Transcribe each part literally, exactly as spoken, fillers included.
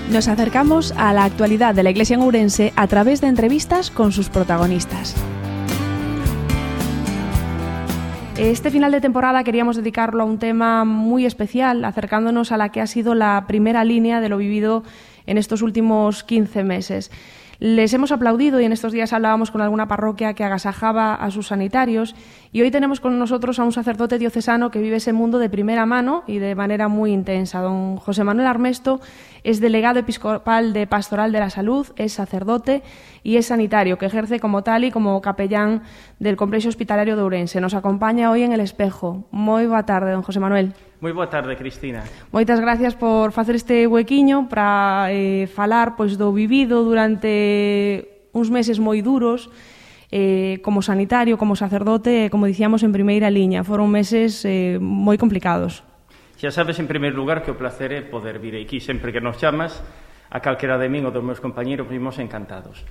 Nos acercamos a la actualidad de la Iglesia en Ourense a través de entrevistas con sus protagonistas. Este final de temporada queríamos dedicarlo a un tema muy especial, acercándonos a la que ha sido la primera línea de lo vivido en estos últimos quince meses. Les hemos aplaudido y en estos días hablábamos con alguna parroquia que agasajaba a sus sanitarios y hoy tenemos con nosotros a un sacerdote diocesano que vive ese mundo de primera mano y de manera muy intensa. Don José Manuel Armesto es delegado episcopal de Pastoral de la Salud, es sacerdote y es sanitario, que ejerce como tal y como capellán del Complexo Hospitalario de Ourense. Nos acompaña hoy en El Espejo. Moi boa tarde, don José Manuel. Moi boa tarde, Cristina. Moitas gracias por facer este huequiño para eh, falar pois, do vivido durante uns meses moi duros eh, como sanitario, como sacerdote, como dicíamos en primeira liña. Foron meses eh, moi complicados. Xa sabes, en primeiro lugar, que o placer é poder vir aquí. Sempre que nos chamas, a calquera de min ou dos meus compañeros, vimos encantados.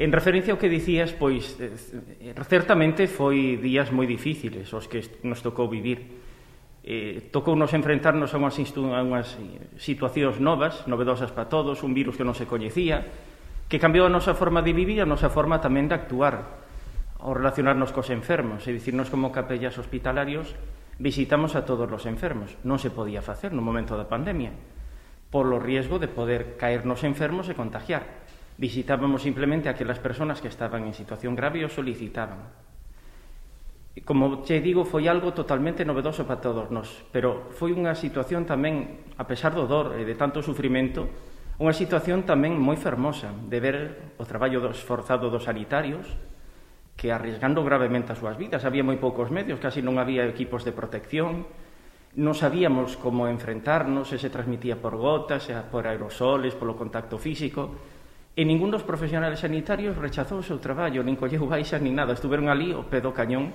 En referencia ao que dicías, pois, eh, certamente foi días moi difíciles os que nos tocou vivir. Eh, tocou nos enfrentarnos a unhas, a unhas situacións novas, novedosas para todos, un virus que non se coñecía, que cambiou a nosa forma de vivir e a nosa forma tamén de actuar ao relacionarnos cos enfermos, e dicirnos como capellas hospitalarios visitamos a todos os enfermos. Non se podía facer no momento da pandemia, polo riesgo de poder caernos enfermos e contagiar. Visitábamos simplemente a aquelas persoas que estaban en situación grave e o solicitaban. Como che digo, foi algo totalmente novedoso para todos nós, pero foi unha situación tamén, a pesar do dor e de tanto sufrimento, unha situación tamén moi fermosa de ver o traballo esforzado dos sanitarios que arriesgando gravemente as súas vidas. Había moi poucos medios, casi non había equipos de protección, non sabíamos como enfrentarnos, se se transmitía por gotas, por aerosoles, polo contacto físico, e ningún dos profesionales sanitarios rechazou o seu traballo, nin colleu baixas, nin nada. Estuveron ali ao pé do cañón,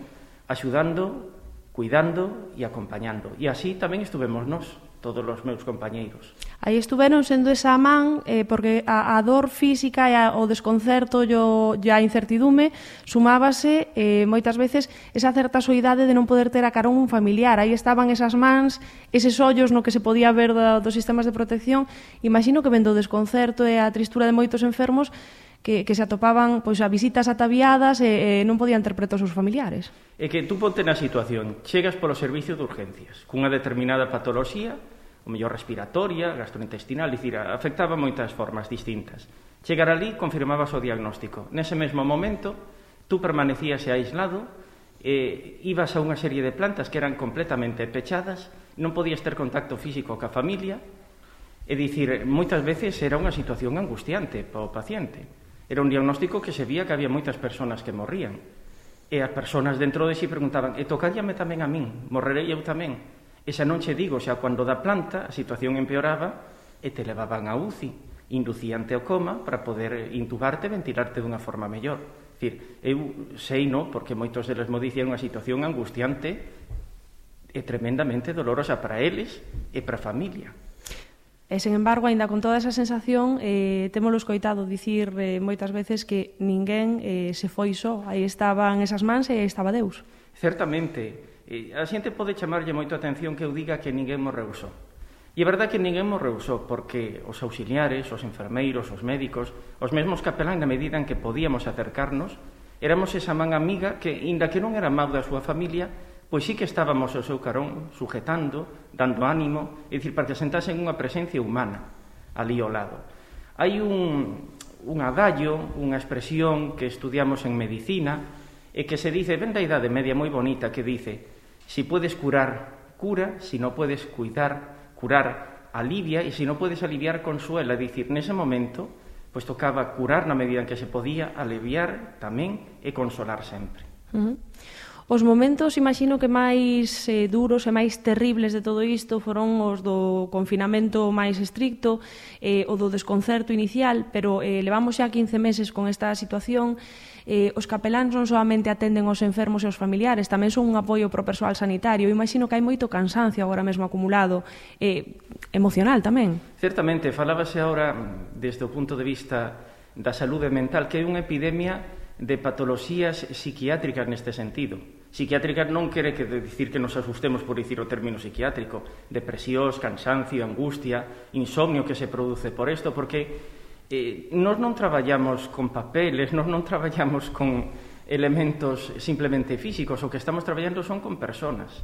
axudando, cuidando e acompañando. E así tamén estuvemos nós, todos os meus compañeiros. Aí estuveron sendo esa man, eh, porque a, a dor física e a, o desconcerto e a incertidume sumábase eh, moitas veces esa certa soidade de non poder ter a carón un familiar. Aí estaban esas mans, eses ollos no que se podía ver do, dos sistemas de protección. Imagino que vendo o desconcerto e a tristura de moitos enfermos que, que se atopaban pois, a visitas ataviadas e, e non podían ter preto os seus familiares. É que tú ponte na situación, chegas polo servicio de urgencias, cunha determinada patoloxía, o mellor respiratoria, gastrointestinal, dicir, afectaba moitas formas distintas. Chegar ali, confirmabas o diagnóstico. Nese mesmo momento, tú permanecías aislado, eh, ibas a unha serie de plantas que eran completamente pechadas, non podías ter contacto físico ca familia, e dicir, moitas veces era unha situación angustiante para o paciente. Era un diagnóstico que se vía que había moitas persoas que morrían. E as persoas dentro de si preguntaban, e tocaríame tamén a min, morrerei eu tamén. E xa non che digo, xa cando da planta a situación empeoraba e te levaban a U C I, inducíante ao coma para poder intubarte e ventilarte dunha forma mellor. Dicir, eu sei, no, porque moitos deles mo dicían unha situación angustiante e tremendamente dolorosa para eles e para a familia. E, sen embargo, aínda con toda esa sensación, eh, témolo escoitado dicir eh, moitas veces que ninguén eh, se foi só. Aí estaban esas mans e aí estaba Deus. Certamente. Eh, a xente pode chamarlle moito a atención que eu diga que ninguén mo rehusou. E é verdade que ninguén mo rehusou, porque os auxiliares, os enfermeiros, os médicos, os mesmos capelán, na medida en que podíamos acercarnos, éramos esa man amiga que, inda que non era mau da súa familia, pois sí que estábamos ao seu carón, sujetando, dando ánimo, é dicir, para que sentasen unha presencia humana ali ao lado. Hai un, un adagio, unha expresión que estudiamos en medicina, e que se dice, ven da Idade Media moi bonita, que dice, si puedes curar, cura, si no puedes cuidar, curar, alivia, e si no puedes aliviar, consuela. É dicir, nese momento, pois tocaba curar na medida en que se podía, aliviar tamén e consolar sempre. Uh-huh. Os momentos, imagino que máis eh, duros e máis terribles de todo isto foron os do confinamento máis estricto, eh, o do desconcerto inicial, pero eh, levamos xa quince meses con esta situación. Eh, os capeláns non solamente atenden aos enfermos e aos familiares, tamén son un apoio pro persoal sanitario. Imagino que hai moito cansancio agora mesmo acumulado, eh, emocional tamén. Certamente, falábase agora desde o punto de vista da saúde mental, que hai unha epidemia de patoloxías psiquiátricas neste sentido. Psiquiátrica non quere que dicir que nos asustemos por dicir o término psiquiátrico, depresións, cansancio, angustia, insomnio que se produce por isto, porque eh, nós non traballamos con papeles, nós non traballamos con elementos simplemente físicos, o que estamos traballando son con personas,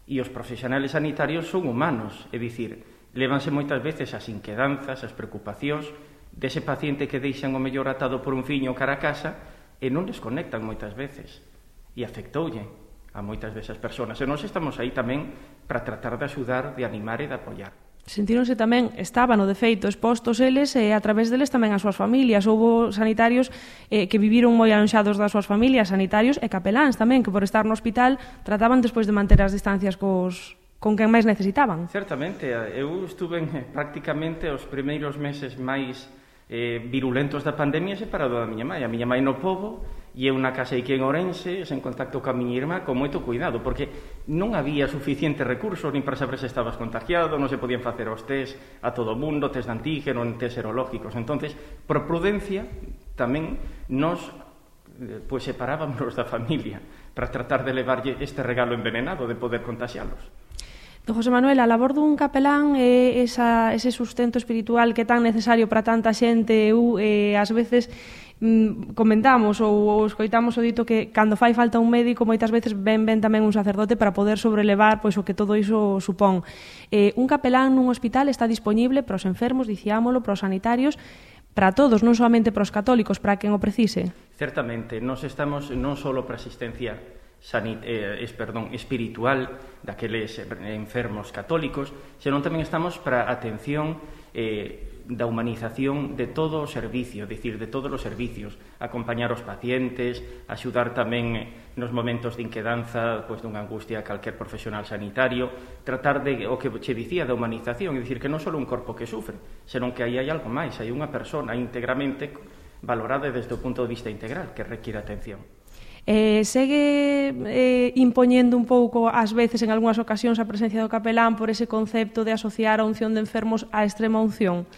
e os profesionales sanitarios son humanos, é dicir, lévanse moitas veces as inquedanzas, as preocupacións dese paciente que deixan o mellor atado por un fiño cara a casa e non desconectan moitas veces. E afectoulle a moitas desas persoas. E nós estamos aí tamén para tratar de axudar, de animar e de apoiar. Sentíronse tamén, estaban, no de feito, expostos eles e a través deles tamén as súas familias. Houbo sanitarios eh, que viviron moi alonxados das súas familias, sanitarios e capeláns tamén, que por estar no hospital trataban despois de manter as distancias cos, con quen máis necesitaban. Certamente, eu estuve en, prácticamente os primeiros meses máis eh, virulentos da pandemia separado da miña mãe. A miña mãe no pobo e eu na casa aquí en Ourense, en contacto ca miña irmá, con moito cuidado, porque non había suficientes recursos nin para saber se estabas contagiado, non se podían facer os test a todo o mundo, test de antígeno, test serológicos. Entonces, por prudencia, tamén nos pois separábamos da familia para tratar de levarlle este regalo envenenado de poder contaxialos. Don José Manuel, a labor dun capelán é esa, ese sustento espiritual que é tan necesario para tanta xente. Eu, eh, ás veces, mm, comentamos ou, ou escoitamos o dito que cando fai falta un médico moitas veces ven, ven tamén un sacerdote para poder sobrelevar pois, o que todo iso supón. Eh, un capelán nun hospital está dispoñible para os enfermos, diciámolo, para os sanitarios, para todos, non solamente para os católicos, para quen o precise. Certamente, nós estamos non só para asistencia sanit eh, es, perdón, espiritual daqueles enfermos católicos, senón tamén estamos para atención eh, da humanización de todo o servicio, é dicir, de todos os servicios, acompañar os pacientes, axudar tamén nos momentos de inquedanza, pois dunha angustia a calquer profesional sanitario, tratar de, o que che dicía, da humanización, é dicir, que non só un corpo que sufre, senón que aí hai algo máis, hai unha persona íntegramente valorada desde o punto de vista integral, que requiere atención. Eh, segue eh, impoñendo un pouco, ás veces, en algunhas ocasións, a presencia do capelán por ese concepto de asociar a unción de enfermos á extrema unción?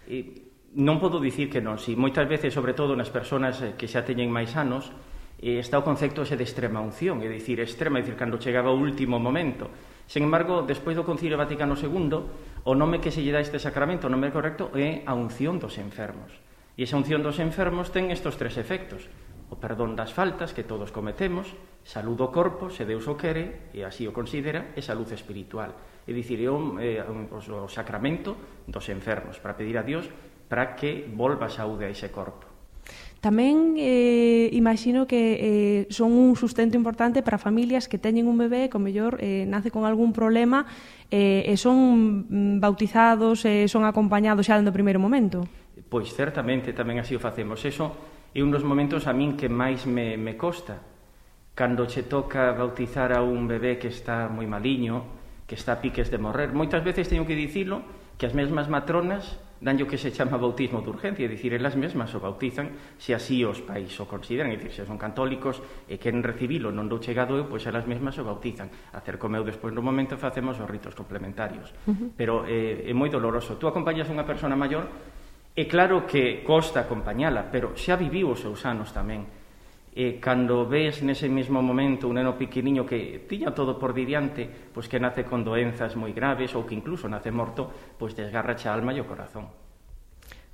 E non podo dicir que non, si moitas veces, sobre todo nas persoas que xa teñen máis anos, eh, está o concepto ese de extrema unción, é dicir, extrema, é dicir, cando chegaba o último momento. Sen embargo, despois do Concilio Vaticano segundo, o nome que se lle dá este sacramento, o nome correcto, é a unción dos enfermos. E esa unción dos enfermos ten estes tres efectos: o perdón das faltas que todos cometemos, salud do corpo, se Deus o quere, e así o considera, e salud espiritual. É dicir, é o, é o sacramento dos enfermos, para pedir a Dios para que volva a saúde a ese corpo. Tamén eh, imagino que eh, son un sustento importante para familias que teñen un bebé que, ao mellor, eh, nace con algún problema eh, e son bautizados, e eh, son acompañados xa no primeiro momento. Pois certamente tamén así o facemos. Eso é un dos momentos a min que máis me, me costa, cando che toca bautizar a un bebé que está moi maliño, que está a piques de morrer. Moitas veces teño que dicilo que as mesmas matronas dan o que se chama bautismo de urgencia, é dicir, elas mesmas o bautizan se así os pais o consideran, é dicir, se son católicos e queren recibilo, non dou chegado eu, pois elas mesmas o bautizan. Acerco meu despois no momento facemos os ritos complementarios. Uh-huh. Pero eh, é moi doloroso. Tú acompañas unha persona maior, é claro que costa acompañala, pero xa viviu os seus anos tamén. E cando ves nese mesmo momento un neno pequeniño que tiña todo por diante, pois que nace con doenzas moi graves ou que incluso nace morto, pois desgarracha a alma e o corazón.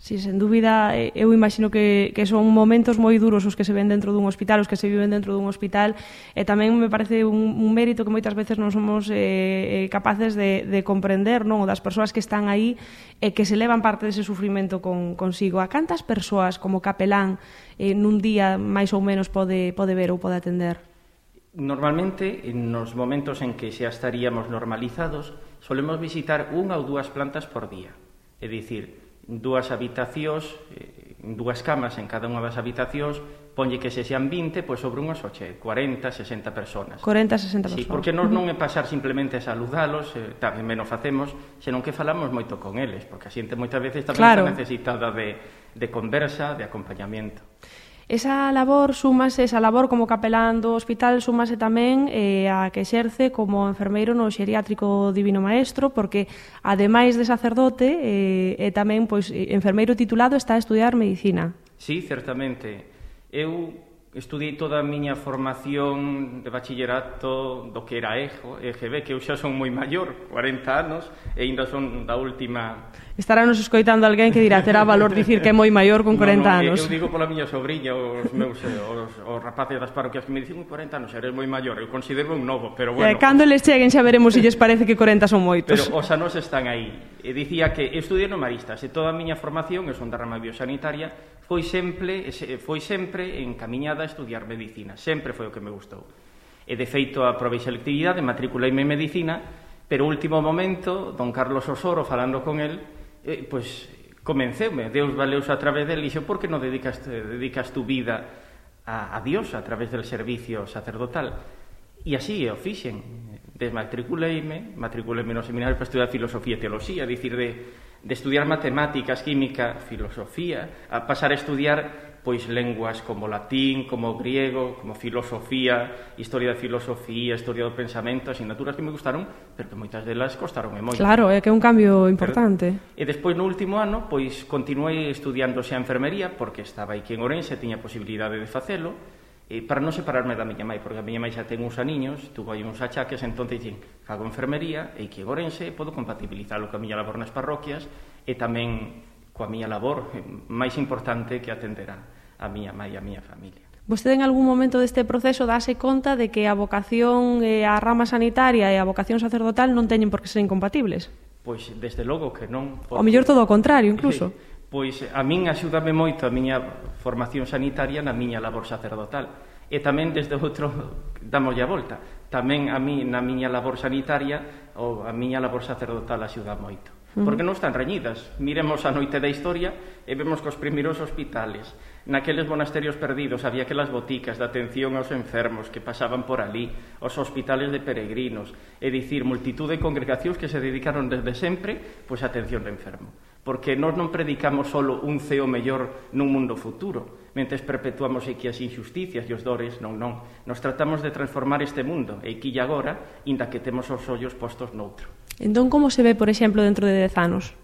Si, sen dúbida, eu imagino que, que son momentos moi duros os que se ven dentro dun hospital, os que se viven dentro dun hospital, e tamén me parece un, un mérito que moitas veces non somos eh, capaces de, de comprender, non? O das persoas que están aí e que se levan parte dese sufrimento con, consigo. A cantas persoas como capelán eh, nun día máis ou menos pode, pode ver ou pode atender? Normalmente, nos momentos en que xa estaríamos normalizados, solemos visitar unha ou dúas plantas por día. É dicir, dúas habitacións, dúas camas en cada unha das habitacións, ponlle que se sean vinte, pois sobre unhas oche, cuarenta, sesenta personas. cuarenta, sesenta personas. Sí, porque nos non é pasar simplemente a saludalos, eh, tamén menos facemos, senón que falamos moito con eles, porque a xente moitas veces tamén claro. Está necesitada de, de conversa, de acompañamento. Esa labor súmase, esa labor como capelán do hospital súmase tamén eh, a que exerce como enfermeiro no xeriátrico Divino Maestro, porque ademais de sacerdote eh, e tamén pois enfermeiro titulado está a estudiar medicina. Sí, certamente. Eu estudiei toda a miña formación de bachillerato do que era E G B, que eu xa son moi maior, cuarenta anos, e ainda son da última... Estará nos escoitando alguén que dirá, terá valor dicir que é moi maior con cuarenta no, no, anos. Eu digo pola miña sobrinha, os meus os, os rapaces das parroquias que me dicen cuarenta anos, eres moi maior, eu considero un novo, pero bueno... Eh, cando les cheguen xa veremos se lles parece que cuarenta son moitos. Pero os anos están aí. E dicía que estudiei no Maristas, e toda a miña formación, eu son da rama biosanitaria, foi sempre, foi sempre encamiñada a estudiar medicina, sempre foi o que me gustou. E de feito aprobei selectividade, matriculeime en medicina, pero último momento, don Carlos Osoro, falando con el, eh, pois convenceume, Deus valeuse a través del, e dixo, por que non dedicas, dedicas tu vida a, a Dios a través del servicio sacerdotal? E así o fixen. Desmatriculeime, matriculeime no seminario para estudiar filosofía e teoloxía, dicir, de, de estudiar matemáticas, química, filosofía, a pasar a estudiar pois lenguas como latín, como griego, como filosofía, historia da filosofía, historia do pensamento, asignaturas que me gustaron, pero que moitas delas costaron moito. Claro, é que é un cambio importante. Pero, e despois no último ano, pois continuei estudiando xa enfermería, porque estaba aquí en Ourense, tiña posibilidade de facelo, e para non separarme da miña mãe, porque a miña mãe xa ten uns aniños, tuvo aí uns achaques, entón dixen, fago enfermería, e que en Ourense podo compatibilizalo coa miña labor nas parroquias, e tamén coa miña labor máis importante que atender a miña mãe e a miña familia. Vostede en algún momento deste proceso dase conta de que a vocación e a rama sanitaria e a vocación sacerdotal non teñen por que ser incompatibles? Pois, desde logo que non. Porque... O mellor todo o contrario, incluso. Pois a min axúdame moito a miña formación sanitaria na miña labor sacerdotal. E tamén desde outro, damos a volta, tamén a mí na miña labor sanitaria ou a miña labor sacerdotal axuda moito. Porque non están reñidas. Miremos a noite da historia e vemos que os primeiros hospitales, naqueles monasterios perdidos, había aquelas boticas de atención aos enfermos que pasaban por ali, os hospitales de peregrinos, é dicir, multitud de congregacións que se dedicaron desde sempre pois a atención do enfermo. Porque nós non predicamos solo un ceo mellor nun mundo futuro, mentes perpetuamos aquí as injusticias e os dores, non, non. Nos tratamos de transformar este mundo, e aquí e agora, inda que temos os ollos postos noutro. Entón, como se ve, por exemplo, dentro de dez anos?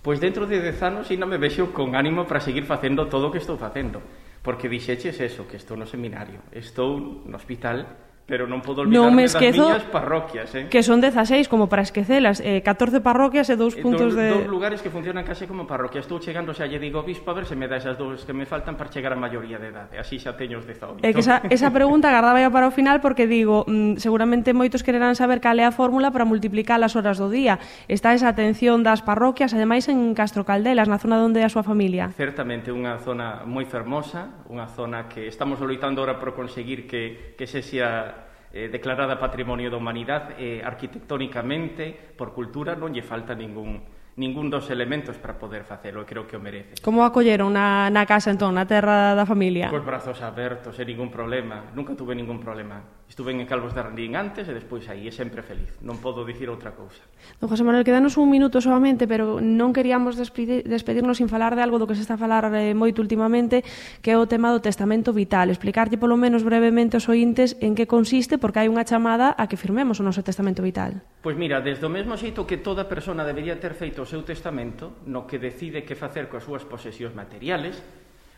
Pois dentro de dez anos ainda me vexo con ánimo para seguir facendo todo o que estou facendo. Porque dixeches eso, que estou no seminario, estou no hospital, pero non podo olvidarme das miñas parroquias, eh? Que son dezaseis, como para esquecelas, eh, catorce parroquias e dous puntos do, de... Dos lugares que funcionan case como parroquias. Estou chegando, xa lle digo ao bispo, a ver se me dá esas dous que me faltan para chegar a maioría de idade. Así xa teño os dezaoito. É que esa, esa pregunta agardaba ya para o final, porque digo, mm, seguramente moitos quererán saber cal é a fórmula para multiplicar as horas do día. Está esa atención das parroquias, ademais en Castro Caldelas, na zona onde é a súa familia. Certamente, unha zona moi fermosa, unha zona que estamos loitando ahora por conseguir que, que se xa... Eh, declarada Patrimonio da Humanidade, eh, arquitectónicamente, por cultura, non lle falta ningún, ningún dos elementos para poder facelo, e creo que o merece. Como acolleron na, na casa, entón, na terra da familia? Cos brazos abertos, e ningún problema, nunca tuve ningún problema. Estuve en Calvos de Randín antes e despois aí, e sempre feliz, non podo dicir outra cousa. Don José Manuel, quedanos un minuto solamente, pero non queríamos despedir, despedirnos sin falar de algo do que se está a falar eh, moito últimamente, que é o tema do testamento vital. Explicarlle polo menos brevemente aos ointes en que consiste, porque hai unha chamada a que firmemos o noso testamento vital. Pois mira, desde o mesmo xeito que toda persona debería ter feito o seu testamento, no que decide que facer coas súas posesións materiales,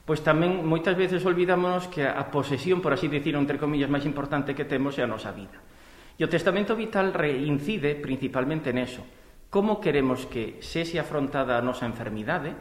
pois tamén moitas veces olvidámonos que a posesión, por así dicir, entre comillas, máis importante que temos é a nosa vida. E o testamento vital reincide principalmente neso. Como queremos que sexe afrontada a nosa enfermidade?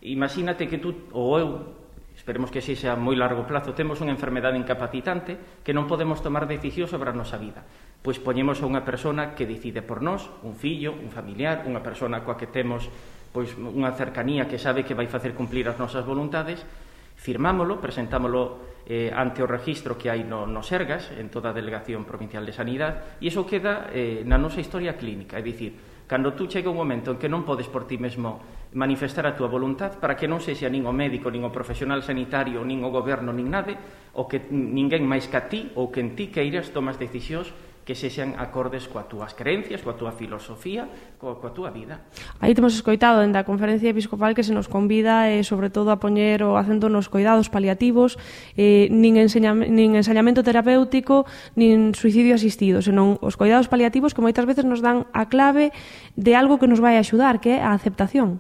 Imagínate que tú, ou eu, esperemos que sexa a moi largo plazo, temos unha enfermedade incapacitante que non podemos tomar decisión sobre a nosa vida. Pois poñemos a unha persona que decide por nós, un fillo, un familiar, unha persona coa que temos pois unha cercanía que sabe que vai facer cumplir as nosas voluntades, firmámolo, presentámolo eh, ante o registro que hai no, no Sergas, en toda a Delegación Provincial de Sanidade, e iso queda eh, na nosa historia clínica, é dicir, cando tú chega un momento en que non podes por ti mesmo manifestar a túa voluntad, para que non sexa nin o médico, nin o profesional sanitario, nin o goberno, nin nade, o que ninguén máis que a ti, ou que en ti queiras tomas decisións que sexan acordes coas túas creencias, coa túa filosofía, coa, coa túa vida. Aí temos escoitado dende a Conferencia Episcopal que se nos convida eh, sobre todo a poñer o acento nos cuidados paliativos, eh, nin, enseñam, nin ensañamento terapéutico, nin suicidio asistido, senón os cuidados paliativos que moitas veces nos dan a clave de algo que nos vai axudar, que é a aceptación.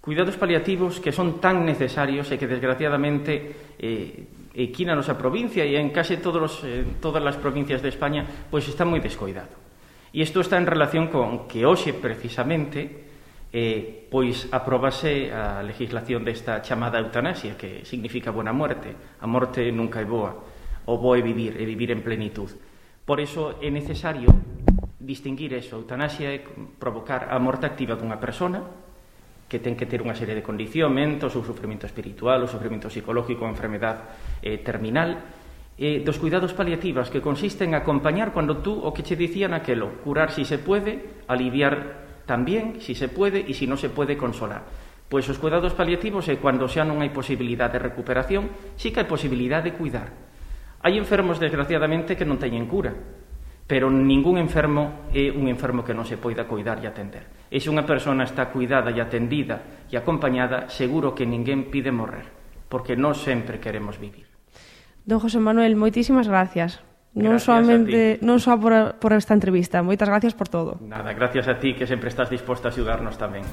Cuidados paliativos que son tan necesarios e que desgraciadamente eh, aquí na nosa provincia e en case todos los, eh, todas as provincias de España, pois está moi descoidado. E isto está en relación con que hoxe, precisamente, eh, pois aprobase a legislación desta chamada eutanasia, que significa buena muerte. A morte nunca é boa, o bo é vivir, é vivir en plenitud. Por iso é necesario distinguir eso. A eutanasia é provocar a morte activa dunha persona que ten que ter unha serie de condicionamentos, o sufrimento espiritual, o sufrimento psicológico, a enfermedad eh, terminal, eh, dos cuidados paliativos, que consisten en acompañar cando tú, o que che dicían aquelo, curar si se puede, aliviar tamén si se puede, e si non se puede, consolar. Pois os cuidados paliativos é cando xa non hai posibilidade de recuperación, sí que hai posibilidade de cuidar. Hai enfermos, desgraciadamente, que non teñen cura, pero ningún enfermo é un enfermo que non se poida cuidar e atender. E se unha persona está cuidada e atendida e acompañada, seguro que ninguén pide morrer, porque non sempre queremos vivir. Don José Manuel, moitísimas gracias. Non soamente non só por, por esta entrevista, moitas gracias por todo. Nada, gracias a ti, que sempre estás disposta a axudarnos tamén.